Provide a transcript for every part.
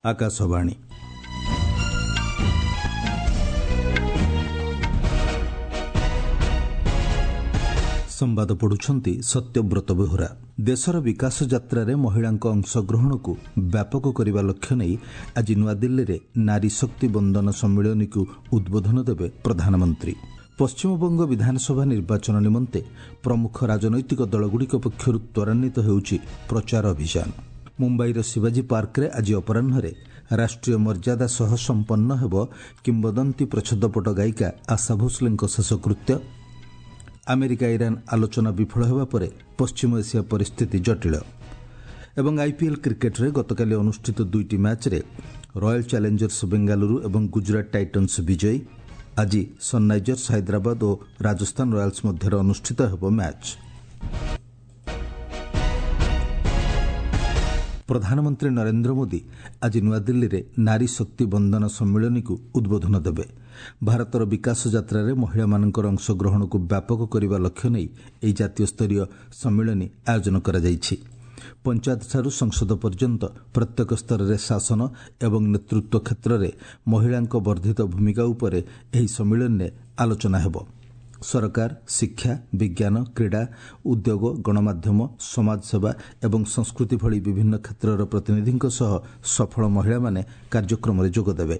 ଆକାଶବାଣୀ। ସମ୍ବାଦ ପଢୁଛନ୍ତି ସତ୍ୟବ୍ରତ ବେହୁରା। ଦେଶର ବିକାଶ ଯାତ୍ରାରେ ମହିଳାଙ୍କ ଅଂଶଗ୍ରହଣକୁ ବ୍ୟାପକ କରିବା ଲକ୍ଷ୍ୟ ନେଇ ଆଜି ନୂଆଦିଲ୍ଲୀରେ ନାରୀ ଶକ୍ତି ବନ୍ଦନ ସମ୍ମିଳନୀକୁ ଉଦ୍ବୋଧନ ଦେବେ ପ୍ରଧାନମନ୍ତ୍ରୀ। ପଶ୍ଚିମବଙ୍ଗ ବିଧାନସଭା ନିର୍ବାଚନ ନିମନ୍ତେ ପ୍ରମୁଖ ରାଜନୈତିକ ଦଳଗୁଡ଼ିକ ପକ୍ଷରୁ ତ୍ୱରାନ୍ୱିତ ହେଉଛି ପ୍ରଚାର ଅଭିଯାନ। ମୁମ୍ବାଇର ଶିବାଜୀ ପାର୍କରେ ଆଜି ଅପରାହ୍ନରେ ରାଷ୍ଟ୍ରୀୟ ମର୍ଯ୍ୟାଦା ସହ ସମ୍ପନ୍ନ ହେବ କିମ୍ବଦନ୍ତୀ ପ୍ରଚ୍ଛଦପଟ ଗାୟିକା ଆଶା ଭୋସ୍ଲେଙ୍କ ଶେଷକୃତ୍ୟ। ଆମେରିକା ଇରାନ୍ ଆଲୋଚନା ବିଫଳ ହେବା ପରେ ପଶ୍ଚିମ ଏସିଆ ପରିସ୍ଥିତି ଜଟିଳ। ଏବଂ ଆଇପିଏଲ୍ କ୍ରିକେଟ୍ରେ ଗତକାଲି ଅନୁଷ୍ଠିତ ଦୁଇଟି ମ୍ୟାଚ୍ରେ ରୟାଲ୍ ଚ୍ୟାଲେଞ୍ଜର୍ସ ବେଙ୍ଗାଲୁରୁ ଏବଂ ଗୁଜରାଟ ଟାଇଟନ୍ସ ବିଜୟୀ। ଆଜି ସନ୍ରାଇଜର୍ସ ହାଇଦ୍ରାବାଦ ଓ ରାଜସ୍ଥାନ ରୟାଲ୍ସ ମଧ୍ୟରେ ଅନୁଷ୍ଠିତ ହେବ ମ୍ୟାଚ୍। ପ୍ରଧାନମନ୍ତ୍ରୀ ନରେନ୍ଦ୍ର ମୋଦି ଆଜି ନୂଆଦିଲ୍ଲୀରେ ନାରୀ ଶକ୍ତି ବନ୍ଦନ ସମ୍ମିଳନୀକୁ ଉଦ୍ବୋଧନ ଦେବେ। ଭାରତର ବିକାଶ ଯାତ୍ରାରେ ମହିଳାମାନଙ୍କର ଅଂଶଗ୍ରହଣକୁ ବ୍ୟାପକ କରିବା ଲକ୍ଷ୍ୟ ନେଇ ଏହି ଜାତୀୟ ସ୍ତରୀୟ ସମ୍ମିଳନୀ ଆୟୋଜନ କରାଯାଇଛି। ପଞ୍ଚାୟତଠାରୁ ସଂସଦ ପର୍ଯ୍ୟନ୍ତ ପ୍ରତ୍ୟେକ ସ୍ତରରେ ଶାସନ ଏବଂ ନେତୃତ୍ୱ କ୍ଷେତ୍ରରେ ମହିଳାଙ୍କ ବର୍ଦ୍ଧିତ ଭୂମିକା ଉପରେ ଏହି ସମ୍ମିଳନୀରେ ଆଲୋଚନା ହେବ। ସରକାର, ଶିକ୍ଷା, ବିଜ୍ଞାନ, କ୍ରୀଡ଼ା, ଉଦ୍ୟୋଗ, ଗଣମାଧ୍ୟମ, ସମାଜସେବା ଏବଂ ସଂସ୍କୃତି ଭଳି ବିଭିନ୍ନ କ୍ଷେତ୍ରର ପ୍ରତିନିଧିଙ୍କ ସହ ସଫଳ ମହିଳାମାନେ କାର୍ଯ୍ୟକ୍ରମରେ ଯୋଗଦେବେ।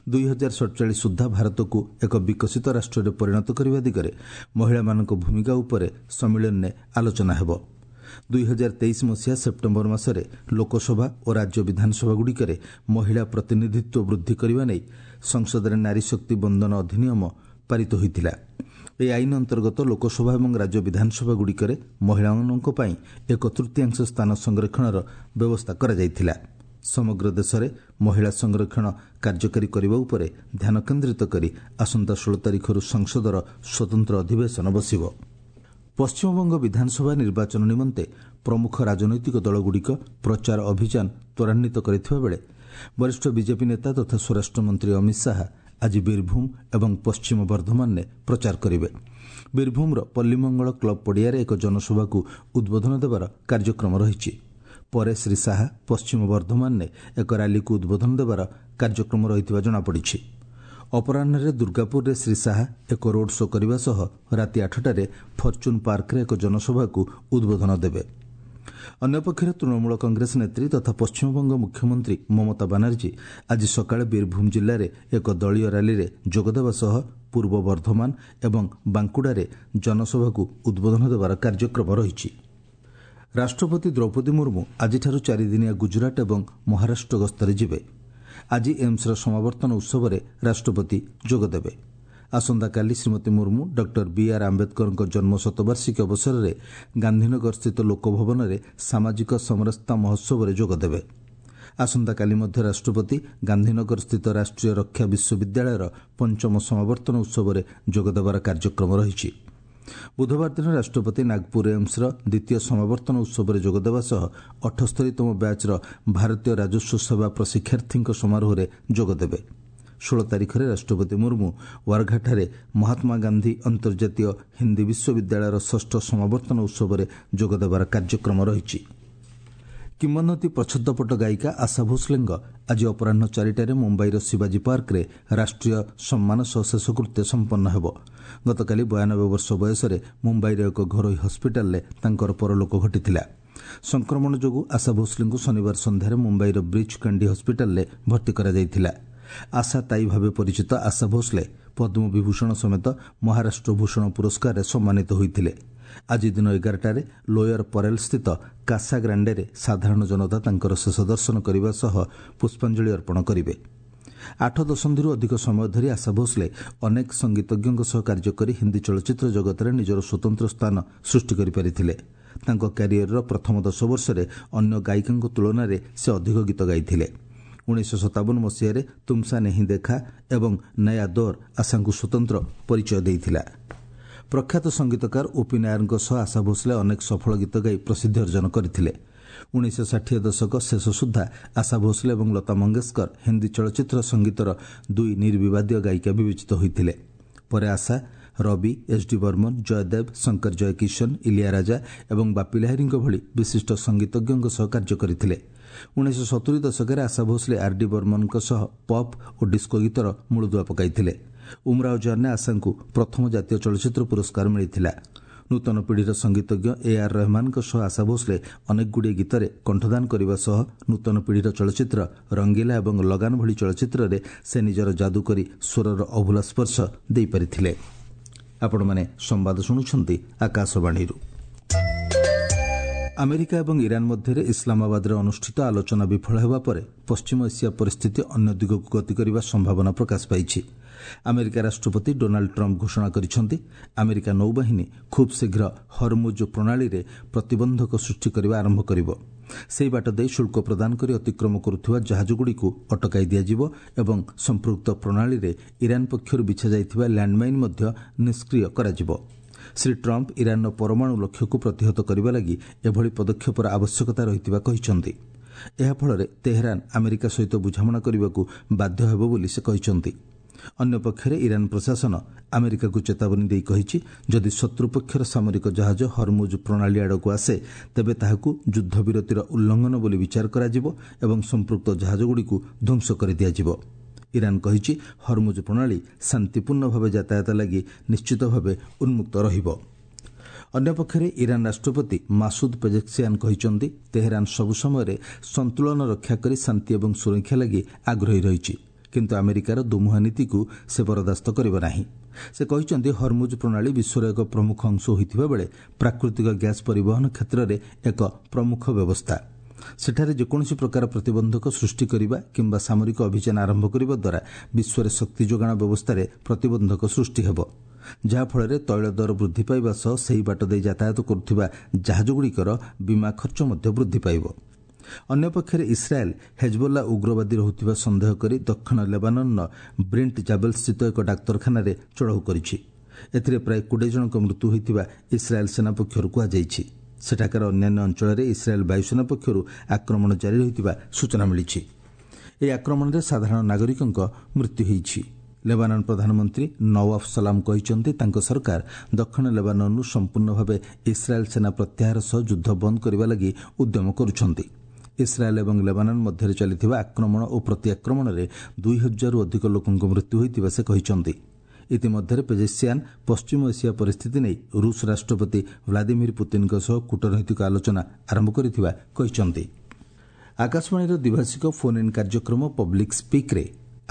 2047 ସୁଦ୍ଧା ଭାରତକୁ ଏକ ବିକଶିତ ରାଷ୍ଟ୍ରରେ ପରିଣତ କରିବା ଦିଗରେ ମହିଳାମାନଙ୍କ ଭୂମିକା ଉପରେ ସମ୍ମିଳନୀରେ ଆଲୋଚନା ହେବ। 2023 ମସିହା ସେପ୍ଟେମ୍ବର ମାସରେ ଲୋକସଭା ଓ ରାଜ୍ୟ ବିଧାନସଭାଗୁଡ଼ିକରେ ମହିଳା ପ୍ରତିନିଧିତ୍ୱ ବୃଦ୍ଧି କରିବା ନେଇ ସଂସଦରେ ନାରୀ ଶକ୍ତି ବନ୍ଦନ ଅଧିନିୟମ ପାରିତ ହୋଇଥିଲା। ଏହି ଆଇନ ଅନ୍ତର୍ଗତ ଲୋକସଭା ଏବଂ ରାଜ୍ୟ ବିଧାନସଭାଗୁଡ଼ିକରେ ମହିଳାମାନଙ୍କ ପାଇଁ ଏକ ତୃତୀୟାଂଶ ସ୍ଥାନ ସଂରକ୍ଷଣର ବ୍ୟବସ୍ଥା କରାଯାଇଥିଲା। ସମଗ୍ର ଦେଶରେ ମହିଳା ସଂରକ୍ଷଣ କାର୍ଯ୍ୟକାରୀ କରିବା ଉପରେ ଧ୍ୟାନ କେନ୍ଦ୍ରିତ କରି ଆସନ୍ତା 16 ତାରିଖରୁ ସଂସଦର ସ୍ୱତନ୍ତ୍ର ଅଧିବେଶନ ବସିବ। ପଶ୍ଚିମବଙ୍ଗ ବିଧାନସଭା ନିର୍ବାଚନ ନିମନ୍ତେ ପ୍ରମୁଖ ରାଜନୈତିକ ଦଳଗୁଡ଼ିକ ପ୍ରଚାର ଅଭିଯାନ ତ୍ୱରାନ୍ୱିତ କରିଥିବା ବେଳେ ବରିଷ୍ଠ ବିଜେପି ନେତା ତଥା ସ୍ୱରାଷ୍ଟ୍ରମନ୍ତ୍ରୀ ଅମିତ ଶାହା ଆଜି ବୀରଭୂମ ଏବଂ ପଶ୍ଚିମ ବର୍ଦ୍ଧମାନରେ ପ୍ରଚାର କରିବେ। ବୀରଭୂମର ପଲ୍ଲୀମଙ୍ଗଳ କ୍ଲବ ପଡ଼ିଆରେ ଏକ ଜନସଭାକୁ ଉଦ୍ବୋଧନ ଦେବାର କାର୍ଯ୍ୟକ୍ରମ ରହିଛି। ପରେ ଶ୍ରୀ ଶାହା ପଶ୍ଚିମ ବର୍ଦ୍ଧମାନରେ ଏକ ରାଲିକୁ ଉଦ୍ବୋଧନ ଦେବାର କାର୍ଯ୍ୟକ୍ରମ ରହିଥିବା ଜଣାପଡ଼ିଛି। ଅପରାହ୍ନରେ ଦୁର୍ଗାପୁରରେ ଶ୍ରୀ ଶାହା ଏକ ରୋଡ୍ ଶୋ କରିବା ସହ ରାତି 8ଟାରେ ଫର୍ଚୁନ୍ ପାର୍କରେ ଏକ ଜନସଭାକୁ ଉଦ୍ବୋଧନ ଦେବେ। ଅନ୍ୟପକ୍ଷରେ ତୃଣମୂଳ କଂଗ୍ରେସ ନେତ୍ରୀ ତଥା ପଶ୍ଚିମବଙ୍ଗ ମୁଖ୍ୟମନ୍ତ୍ରୀ ମମତା ବାନାର୍ଜୀ ଆଜି ସକାଳେ ବୀରଭୂମ ଜିଲ୍ଲାରେ ଏକ ଦଳୀୟ ରାଲିରେ ଯୋଗଦେବା ସହ ପୂର୍ବ ବର୍ଦ୍ଧମାନ ଏବଂ ବାଙ୍କୁଡ଼ାରେ ଜନସଭାକୁ ଉଦ୍ବୋଧନ ଦେବାର କାର୍ଯ୍ୟକ୍ରମ ରହିଛି। ରାଷ୍ଟ୍ରପତି ଦ୍ରୌପଦୀ ମୁର୍ମୁ ଆଜିଠାରୁ ଚାରିଦିନିଆ ଗୁଜରାଟ ଏବଂ ମହାରାଷ୍ଟ୍ର ଗସ୍ତରେ ଯିବେ। ଆଜି ଏମ୍ସର ସମାବର୍ତ୍ତନ ଉତ୍ସବରେ ରାଷ୍ଟ୍ରପତି ଯୋଗଦେବେ। ଆସନ୍ତାକାଲି ଶ୍ରୀମତୀ ମୁର୍ମୁ ଡକ୍ଟର ବିଆର୍ ଆମ୍ବେଦକରଙ୍କ ଜନ୍ମ ଶତବାର୍ଷିକୀ ଅବସରରେ ଗାନ୍ଧୀନଗରସ୍ଥିତ ଲୋକଭବନରେ ସାମାଜିକ ସମରସତା ମହୋତ୍ସବରେ ଯୋଗଦେବେ। ଆସନ୍ତାକାଲି ମଧ୍ୟ ରାଷ୍ଟ୍ରପତି ଗାନ୍ଧୀନଗରସ୍ଥିତ ରାଷ୍ଟ୍ରୀୟ ରକ୍ଷା ବିଶ୍ୱବିଦ୍ୟାଳୟର ପଞ୍ଚମ ସମାବର୍ତ୍ତନ ଉତ୍ସବରେ ଯୋଗଦେବାର କାର୍ଯ୍ୟକ୍ରମ ରହିଛି। ବୁଧବାର ଦିନ ରାଷ୍ଟ୍ରପତି ନାଗପୁର ଏମ୍ସର ଦ୍ୱିତୀୟ ସମାବର୍ତ୍ତନ ଉତ୍ସବରେ ଯୋଗଦେବା ସହ 78ତମ ବ୍ୟାଚ୍ର ଭାରତୀୟ ରାଜସ୍ୱ ସେବା ପ୍ରଶିକ୍ଷାର୍ଥୀଙ୍କ ସମାରୋହରେ ଯୋଗଦେବେ। 16 ତାରିଖରେ ରାଷ୍ଟ୍ରପତି ମୁର୍ମୁ ୱାର୍ଘାଠାରେ ମହାତ୍ମା ଗାନ୍ଧୀ ଅନ୍ତର୍ଜାତୀୟ ହିନ୍ଦୀ ବିଶ୍ୱବିଦ୍ୟାଳୟର ଷଷ୍ଠ ସମାବର୍ତ୍ତନ ଉତ୍ସବରେ ଯୋଗଦେବାର କାର୍ଯ୍ୟକ୍ରମ ରହିଛି। କିମ୍ବଦନ୍ତୀ ପ୍ରଚ୍ଛଦପଟ ଗାୟିକା ଆଶା ଭୋସ୍ଲେଙ୍କ ଆଜି ଅପରାହ୍ନ 4ଟାରେ ମୁମ୍ବାଇର ଶିବାଜୀ ପାର୍କରେ ରାଷ୍ଟ୍ରୀୟ ସମ୍ମାନ ସହ ଶେଷକୃତ୍ୟ ସମ୍ପନ୍ନ ହେବ। ଗତକାଲି 92 ବର୍ଷ ବୟସରେ ମୁମ୍ବାଇର ଏକ ଘରୋଇ ହସ୍ପିଟାଲରେ ତାଙ୍କର ପରଲୋକ ଘଟିଥିଲା। ସଂକ୍ରମଣ ଯୋଗୁଁ ଆଶା ଭୋସ୍ଲେଙ୍କୁ ଶନିବାର ସନ୍ଧ୍ୟାରେ ମୁମ୍ବାଇର ବ୍ରିଚ୍ କାଣ୍ଡି ହସ୍ପିଟାଲରେ ଭର୍ତ୍ତି କରାଯାଇଥିଲା। ଆଶା ତାଇ ଭାବେ ପରିଚିତ ଆଶା ଭୋସ୍ଲେ ପଦ୍ମବିଭୂଷଣ ସମେତ ମହାରାଷ୍ଟ୍ର ଭୂଷଣ ପୁରସ୍କାରରେ ସମ୍ମାନିତ ହୋଇଥିଲେ। ଆଜି ଦିନ 11ଟାରେ ଲୋୟର ପରେଲସ୍ଥିତ କାସା ଗ୍ରାଣ୍ଡେରେ ସାଧାରଣ ଜନତା ତାଙ୍କର ଶେଷ ଦର୍ଶନ କରିବା ସହ ପୁଷ୍ପାଞ୍ଜଳି ଅର୍ପଣ କରିବେ। 8 ଦଶନ୍ଧିରୁ ଅଧିକ ସମୟ ଧରି ଆଶା ଭୋସ୍ଲେ ଅନେକ ସଙ୍ଗୀତଜ୍ଞଙ୍କ ସହ କାର୍ଯ୍ୟ କରି ହିନ୍ଦୀ ଚଳଚ୍ଚିତ୍ର ଜଗତରେ ନିଜର ସ୍ୱତନ୍ତ୍ର ସ୍ଥାନ ସୃଷ୍ଟି କରିପାରିଥିଲେ। ତାଙ୍କ କ୍ୟାରିୟରର ପ୍ରଥମ 10 ବର୍ଷରେ ଅନ୍ୟ ଗାୟିକାଙ୍କ ତୁଳନାରେ ସେ ଅଧିକ ଗୀତ ଗାଇଥିଲେ। 1957 ମସିହାରେ ତୁମସା ନେହିଁ ଦେଖା ଏବଂ ନୟା ଦୌର ଆଶାଙ୍କୁ ସ୍ୱତନ୍ତ୍ର ପରିଚୟ ଦେଇଥିଲା। ପ୍ରଖ୍ୟାତ ସଙ୍ଗୀତକାର ଓପି ନାୟରଙ୍କ ସହ ଆଶା ଭୋସ୍ଲେ ଅନେକ ସଫଳ ଗୀତ ଗାଇ ପ୍ରସିଦ୍ଧି ଅର୍ଜନ କରିଥିଲେ। 1960 ଦଶକ ଶେଷ ସୁଦ୍ଧା ଆଶା ଭୋସ୍ଲେ ଏବଂ ଲତା ମଙ୍ଗେଶକର ହିନ୍ଦୀ ଚଳଚ୍ଚିତ୍ର ସଙ୍ଗୀତର ଦୁଇ ନିର୍ବିବାଦୀୟ ଗାୟିକା ବିବେଚିତ ହୋଇଥିଲେ। ପରେ ଆଶା ରବି, ଏସ୍ ଡି ବର୍ମନ, ଜୟଦେବ, ଶଙ୍କର ଜୟକିଶନ, ଇଲିଆ ରାଜା ଏବଂ ବାପି ଲାହିରୀଙ୍କ ଭଳି ବିଶିଷ୍ଟ ସଙ୍ଗୀତଜ୍ଞଙ୍କ ସହ କାର୍ଯ୍ୟ କରିଥିଲେ। 1970 ଦଶକରେ ଆଶା ଭୋସଲେ ଆର୍ ଡି ବର୍ମନଙ୍କ ସହ ପପ୍ ଓ ଡିସ୍କୋ ଗୀତର ମୂଳଦୁଆ ପକାଇଥିଲେ। ଉମରାଓ ଜାନ୍ରେ ଆଶାଙ୍କୁ ପ୍ରଥମ ଜାତୀୟ ଚଳଚ୍ଚିତ୍ର ପୁରସ୍କାର ମିଳିଥିଲା। ନୂତନ ପିଢ଼ିର ସଙ୍ଗୀତଜ୍ଞ ଏ ଆର୍ ରହମାନଙ୍କ ସହ ଆଶା ଭୋସଲେ ଅନେକଗୁଡ଼ିଏ ଗୀତରେ କଣ୍ଠଦାନ କରିବା ସହ ନୂତନ ପିଢ଼ିର ଚଳଚ୍ଚିତ୍ର ରଙ୍ଗିଲା ଏବଂ ଲଗାନ ଭଳି ଚଳଚ୍ଚିତ୍ରରେ ସେ ନିଜର ଯାଦୁକରୀ ସ୍ୱରର ଅଭୁଲା ସ୍ପର୍ଶ ଦେଇପାରିଥିଲେ। ଆପଣମାନେ ସମ୍ବାଦ ଶୁଣୁଛନ୍ତି ଆକାଶବାଣୀରୁ। ଆମେରିକା ଏବଂ ଇରାନ ମଧ୍ୟରେ ଇସଲାମାବାଦରେ ଅନୁଷ୍ଠିତ ଆଲୋଚନା ବିଫଳ ହେବା ପରେ ପଶ୍ଚିମ ଏସିଆ ପରିସ୍ଥିତି ଅନ୍ୟ ଦିଗକୁ ଗତି କରିବା ସମ୍ଭାବନା ପ୍ରକାଶ ପାଇଛି। ଆମେରିକା ରାଷ୍ଟ୍ରପତି ଡୋନାଲ୍ଡ ଟ୍ରମ୍ପ ଘୋଷଣା କରିଛନ୍ତି, ଆମେରିକା ନୌବାହିନୀ ଖୁବ୍ ଶୀଘ୍ର ହରମୁଜ ପ୍ରଣାଳୀରେ ପ୍ରତିବନ୍ଧକ ସୃଷ୍ଟି କରିବା ଆରମ୍ଭ କରିବ। ସେହି ବାଟ ଦେଇ ଶୁଳ୍କ ପ୍ରଦାନ କରି ଅତିକ୍ରମ କରୁଥିବା ଜାହାଜଗୁଡ଼ିକୁ ଅଟକାଇ ଦିଆଯିବ ଏବଂ ସମ୍ପୃକ୍ତ ପ୍ରଣାଳୀରେ ଇରାନ ପକ୍ଷରୁ ବିଛାଯାଇଥିବା ଲ୍ୟାଣ୍ଡମାଇନ୍ ମଧ୍ୟ ନିଷ୍କ୍ରିୟ କରାଯିବ। ଶ୍ରୀ ଟ୍ରମ୍ପ ଇରାନର ପରମାଣୁ ଲକ୍ଷ୍ୟକୁ ପ୍ରତିହତ କରିବା ଲାଗି ଏଭଳି ପଦକ୍ଷେପର ଆବଶ୍ୟକତା ରହିଥିବା କହିଛନ୍ତି। ଏହାଫଳରେ ତେହେରାନ ଆମେରିକା ସହିତ ବୁଝାମଣା କରିବାକୁ ବାଧ୍ୟ ହେବ ବୋଲି ସେ କହିଛନ୍ତି। ଅନ୍ୟପକ୍ଷରେ ଇରାନ ପ୍ରଶାସନ ଆମେରିକାକୁ ଚେତାବନୀ ଦେଇ କହିଛି, ଯଦି ଶତ୍ରୁପକ୍ଷର ସାମରିକ ଜାହାଜ ହରମୁଜ ପ୍ରଣାଳୀ ଆଡ଼କୁ ଆସେ, ତେବେ ତାହାକୁ ଯୁଦ୍ଧବିରତିର ଉଲ୍ଲଂଘନ ବୋଲି ବିଚାର କରାଯିବ ଏବଂ ସମ୍ପୃକ୍ତ ଜାହାଜଗୁଡ଼ିକୁ ଧ୍ୱଂସ କରିଦିଆଯିବ। ଇରାନ କହିଛି, ହରମୁଜ ପ୍ରଣାଳୀ ଶାନ୍ତିପୂର୍ଣ୍ଣ ଭାବେ ଯାତାୟାତ ଲାଗି ନିଶ୍ଚିତ ଭାବେ ଉନ୍ମୁକ୍ତ ରହିବ। ଅନ୍ୟପକ୍ଷରେ ଇରାନ ରାଷ୍ଟ୍ରପତି ମାସୁଦ ପେଜେକ୍ସିଆନ କହିଛନ୍ତି, ତେହେରାନ ସବୁ ସମୟରେ ସନ୍ତୁଳନ ରକ୍ଷା କରି ଶାନ୍ତି ଏବଂ ସୁରକ୍ଷା ଲାଗି ଆଗ୍ରହୀ ରହିଛି, କିନ୍ତୁ ଆମେରିକାର ଦୋମୁହାଁ ନୀତିକୁ ସେ ବରଦାସ୍ତ କରିବ ନାହିଁ। ସେ କହିଛନ୍ତି, ହରମୁଜ ପ୍ରଣାଳୀ ବିଶ୍ୱର ଏକ ପ୍ରମୁଖ ଅଂଶ ହୋଇଥିବା ବେଳେ ପ୍ରାକୃତିକ ଗ୍ୟାସ୍ ପରିବହନ କ୍ଷେତ୍ରରେ ଏକ ପ୍ରମୁଖ ବ୍ୟବସ୍ଥା। ସେଠାରେ ଯେକୌଣସି ପ୍ରକାର ପ୍ରତିବନ୍ଧକ ସୃଷ୍ଟି କରିବା କିମ୍ବା ସାମରିକ ଅଭିଯାନ ଆରମ୍ଭ କରିବା ଦ୍ୱାରା ବିଶ୍ୱରେ ଶକ୍ତି ଯୋଗାଣ ବ୍ୟବସ୍ଥାରେ ପ୍ରତିବନ୍ଧକ ସୃଷ୍ଟି ହେବ, ଯାହାଫଳରେ ତୈଳ ଦର ବୃଦ୍ଧି ପାଇବା ସହ ସେହି ବାଟ ଦେଇ ଯାତାୟାତ କରୁଥିବା ଜାହାଜଗୁଡ଼ିକର ବୀମା ଖର୍ଚ୍ଚ ମଧ୍ୟ ବୃଦ୍ଧି ପାଇବ। ଅନ୍ୟପକ୍ଷରେ ଇସ୍ରାଏଲ୍ ହେଜବୋଲ୍ଲା ଉଗ୍ରବାଦୀ ରହୁଥିବା ସନ୍ଦେହ କରି ଦକ୍ଷିଣ ଲେବାନନ୍ର ବ୍ରିଣ୍ଟ ଜାବେଲ୍ସ୍ଥିତ ଏକ ଡାକ୍ତରଖାନାରେ ଚଢ଼ାଉ କରିଛି। ଏଥିରେ ପ୍ରାୟ 20 ଜଣଙ୍କ ମୃତ୍ୟୁ ହୋଇଥିବା ଇସ୍ରାଏଲ୍ ସେନା ପକ୍ଷରୁ କୁହାଯାଇଛି। ସେଠାକାର ଅନ୍ୟାନ୍ୟ ଅଞ୍ଚଳରେ ଇସ୍ରାଏଲ୍ ବାୟୁସେନା ପକ୍ଷରୁ ଆକ୍ରମଣ ଜାରି ରହିଥିବା ସୂଚନା ମିଳିଛି। ଏହି ଆକ୍ରମଣରେ ସାଧାରଣ ନାଗରିକଙ୍କ ମୃତ୍ୟୁ ହୋଇଛି। ଲେବାନନ ପ୍ରଧାନମନ୍ତ୍ରୀ ନୱାଫ ସଲାମ କହିଛନ୍ତି, ତାଙ୍କ ସରକାର ଦକ୍ଷିଣ ଲେବାନନରୁ ସମ୍ପୂର୍ଣ୍ଣ ଭାବେ ଇସ୍ରାଏଲ୍ ସେନା ପ୍ରତ୍ୟାହାର ସହ ଯୁଦ୍ଧ ବନ୍ଦ କରିବା ଲାଗି ଉଦ୍ୟମ କରୁଛନ୍ତି। ଇସ୍ରାଏଲ୍ ଏବଂ ଲେବାନନ ମଧ୍ୟରେ ଚାଲିଥିବା ଆକ୍ରମଣ ଓ ପ୍ରତିଆକ୍ରମଣରେ 2000ରୁ ଅଧିକ ଲୋକଙ୍କ ମୃତ୍ୟୁ ହୋଇଥିବା ସେ କହିଛନ୍ତି। ଇତିମଧ୍ୟରେ ପେଜେସିଆନ୍ ପଶ୍ଚିମ ଏସିଆ ପରିସ୍ଥିତି ନେଇ ରୁଷ ରାଷ୍ଟ୍ରପତି ଭ୍ଲାଦିମିର ପୁତିନ୍ଙ୍କ ସହ କୂଟନୈତିକ ଆଲୋଚନା ଆରମ୍ଭ କରିଥିବା କହିଛନ୍ତି। ଆକାଶବାଣୀର ଦ୍ୱିଭାଷିକ ଫୋନ୍ ଇନ୍ କାର୍ଯ୍ୟକ୍ରମ ପବ୍ଲିକ୍ ସ୍ପିକ୍ରେ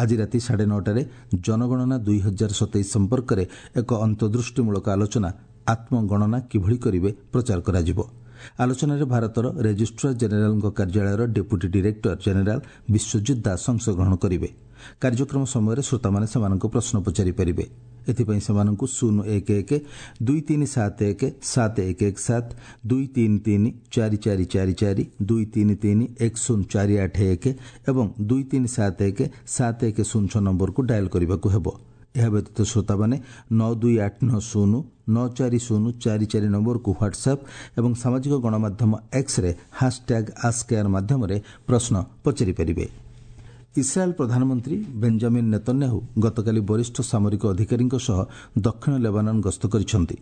ଆଜି ରାତି 9:30ରେ ଜନଗଣନା 2027 ସମ୍ପର୍କରେ ଏକ ଅନ୍ତର୍ଦୃଷ୍ଟିମୂଳକ ଆଲୋଚନା ଆତ୍ମଗଣନା କିଭଳି କରିବେ ପ୍ରଚାର କରାଯିବ। ଆଲୋଚନାରେ ଭାରତର ରେଜିଷ୍ଟ୍ରାର ଜେନେରାଲଙ୍କ କାର୍ଯ୍ୟାଳୟର deputy director general Biswajit Das ଅଂଶଗ୍ରହଣ କରିବେ। କାର୍ଯ୍ୟକ୍ରମ ସମୟରେ ଶ୍ରୋତାମାନେ ସେମାନଙ୍କୁ ପ୍ରଶ୍ନ ପଚାରିପାରିବେ। ଏଥିପାଇଁ ସେମାନଙ୍କୁ 011 2371 7117, 233 4444, 233 10481 ଏବଂ 2371 7106 ନମ୍ବରକୁ ଡାଏଲ୍ କରିବାକୁ ହେବ। ଏହା ବ୍ୟତୀତ ଶ୍ରୋତାମାନେ 92890 94044 ନମ୍ବରକୁ ହ୍ୱାଟ୍ସ୍ଆପ୍ ଏବଂ ସାମାଜିକ ଗଣମାଧ୍ୟମ ଏକ୍ସରେ ହାସ୍ଟ୍ୟାଗ୍ ଆସ୍କେୟାର ମାଧ୍ୟମରେ ପ୍ରଶ୍ନ ପଚାରିପାରିବେ। ଇସ୍ରାଏଲ୍ ପ୍ରଧାନମନ୍ତ୍ରୀ ବେଞ୍ଜାମିନ୍ ନେତନ୍ୟାହୁ ଗତକାଲି ବରିଷ୍ଠ ସାମରିକ ଅଧିକାରୀଙ୍କ ସହ ଦକ୍ଷିଣ ଲେବାନନ ଗସ୍ତ କରିଛନ୍ତି।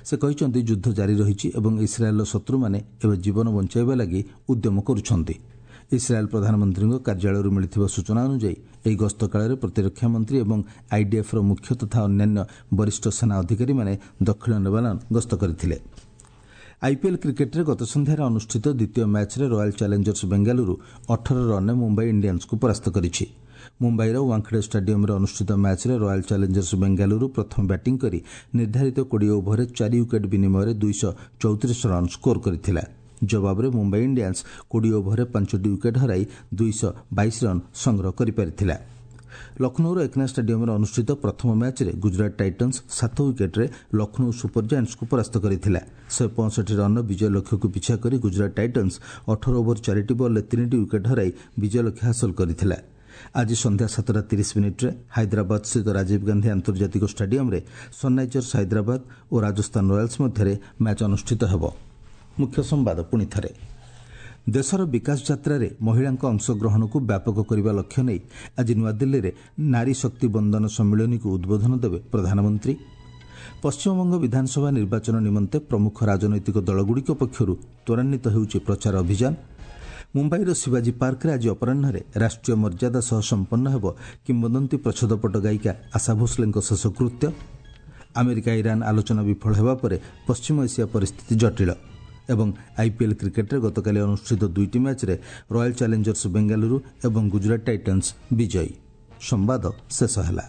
ସେ କହିଛନ୍ତି, ଯୁଦ୍ଧ ଜାରି ରହିଛି ଏବଂ ଇସ୍ରାଏଲ୍ର ଶତ୍ରୁମାନେ ଏବେ ଜୀବନ ବଞ୍ଚାଇବା ଲାଗି ଉଦ୍ୟମ କରୁଛନ୍ତି। ଇସ୍ରାଏଲ୍ ପ୍ରଧାନମନ୍ତ୍ରୀଙ୍କ କାର୍ଯ୍ୟାଳୟରୁ ମିଳିଥିବା ସୂଚନା ଅନୁଯାୟୀ ଏହି ଗସ୍ତ କାଳରେ ପ୍ରତିରକ୍ଷା ମନ୍ତ୍ରୀ ଏବଂ ଆଇଡିଏଫ୍ର ମୁଖ୍ୟ ତଥା ଅନ୍ୟାନ୍ୟ ବରିଷ୍ଠ ସେନା ଅଧିକାରୀମାନେ ଦକ୍ଷିଣ ଲେବାନନ ଗସ୍ତ କରିଥିଲେ। ଆଇପିଏଲ୍ କ୍ରିକେଟ୍ରେ ଗତ ସନ୍ଧ୍ୟାରେ ଅନୁଷ୍ଠିତ ଦ୍ୱିତୀୟ ମ୍ୟାଚ୍ରେ ରୟାଲ୍ ଚ୍ୟାଲେଞ୍ଜର୍ସ ବେଙ୍ଗାଲୁରୁ 18 ରନ୍ରେ ମୁମ୍ବାଇ ଇଣ୍ଡିଆନ୍ସକୁ ପରାସ୍ତ କରିଛି। ମୁମ୍ବାଇର ୱାଙ୍ଖଡେ ଷ୍ଟାଡିୟମ୍ରେ ଅନୁଷ୍ଠିତ ମ୍ୟାଚ୍ରେ ରୟାଲ୍ ଚ୍ୟାଲେଞ୍ଜର୍ସ ବେଙ୍ଗାଲୁରୁ ପ୍ରଥମେ ବ୍ୟାଟିଂ କରି ନିର୍ଦ୍ଧାରିତ 20 ଓଭରରେ 4 ୱିକେଟ୍ ବିନିମୟରେ 234 ରନ୍ ସ୍କୋର କରିଥିଲା। ଜବାବରେ ମୁମ୍ବାଇ ଇଣ୍ଡିଆନ୍ସ 20 ଓଭରରେ 5ଟି ୱିକେଟ୍ ହରାଇ 222 ରନ୍ ସଂଗ୍ରହ କରିପାରିଥିଲା। ଲକ୍ଷ୍ନୌର ଏକନା ଷ୍ଟାଡିୟମ୍ରେ ଅନୁଷ୍ଠିତ ପ୍ରଥମ ମ୍ୟାଚ୍ରେ ଗୁଜରାଟ ଟାଇଟନ୍ସ 7 ୱିକେଟ୍ରେ ଲକ୍ଷ୍ନୌ ସୁପର ଜାଏଣ୍ଟସ୍କୁ ପରାସ୍ତ କରିଥିଲା। 165 ରନ୍ର ବିଜୟ ଲକ୍ଷ୍ୟକୁ ପିଛା କରି ଗୁଜରାଟ ଟାଇଟନ୍ସ 18 ଓଭର 4ଟି ବଲ୍ରେ 3ଟି ୱିକେଟ୍ ହରାଇ ବିଜୟ ଲକ୍ଷ୍ୟ ହାସଲ କରିଥିଲା। ଆଜି ସନ୍ଧ୍ୟା 7:30 ହାଇଦ୍ରାବାଦସ୍ଥିତ ରାଜୀବ ଗାନ୍ଧୀ ଆନ୍ତର୍ଜାତିକ ଷ୍ଟାଡିୟମ୍ରେ ସନ୍ରାଇଜର୍ସ ହାଇଦ୍ରାବାଦ ଓ ରାଜସ୍ଥାନ ରୟାଲ୍ସ ମଧ୍ୟରେ ମ୍ୟାଚ୍ ଅନୁଷ୍ଠିତ ହେବ। ମୁଖ୍ୟ ସମ୍ବାଦ ପୁଣି ଥରେ। ଦେଶର ବିକାଶ ଯାତ୍ରାରେ ମହିଳାଙ୍କ ଅଂଶଗ୍ରହଣକୁ ବ୍ୟାପକ କରିବା ଲକ୍ଷ୍ୟ ନେଇ ଆଜି ନୂଆଦିଲ୍ଲୀରେ ନାରୀ ଶକ୍ତି ବନ୍ଦନ ସମ୍ମିଳନୀକୁ ଉଦ୍ବୋଧନ ଦେବେ ପ୍ରଧାନମନ୍ତ୍ରୀ। ପଶ୍ଚିମବଙ୍ଗ ବିଧାନସଭା ନିର୍ବାଚନ ନିମନ୍ତେ ପ୍ରମୁଖ ରାଜନୈତିକ ଦଳଗୁଡ଼ିକ ପକ୍ଷରୁ ତ୍ୱରାନ୍ୱିତ ହେଉଛି ପ୍ରଚାର ଅଭିଯାନ। ମୁମ୍ବାଇର ଶିବାଜୀ ପାର୍କରେ ଆଜି ଅପରାହ୍ନରେ ରାଷ୍ଟ୍ରୀୟ ମର୍ଯ୍ୟାଦା ସହ ସମ୍ପନ୍ନ ହେବ କିମ୍ବଦନ୍ତୀ ପ୍ରଚ୍ଛଦପଟ ଗାୟିକା ଆଶା ଭୋସ୍ଲେଙ୍କ ଶେଷକୃତ୍ୟ। ଆମେରିକା ଇରାନ୍ ଆଲୋଚନା ବିଫଳ ହେବା ପରେ ପଶ୍ଚିମ ଏସିଆ ପରିସ୍ଥିତି ଜଟିଳ। ଏବଂ ଆଇପିଏଲ୍ କ୍ରିକେଟ୍ରେ ଗତକାଲି ଅନୁଷ୍ଠିତ 2ଟି ମ୍ୟାଚ୍ରେ ରୟାଲ୍ ଚ୍ୟାଲେଞ୍ଜର୍ସ ବେଙ୍ଗାଲୁରୁ ଏବଂ ଗୁଜରାଟ ଟାଇଟନ୍ସ ବିଜୟୀ। ସମ୍ବାଦ ଶେଷ ହେଲା।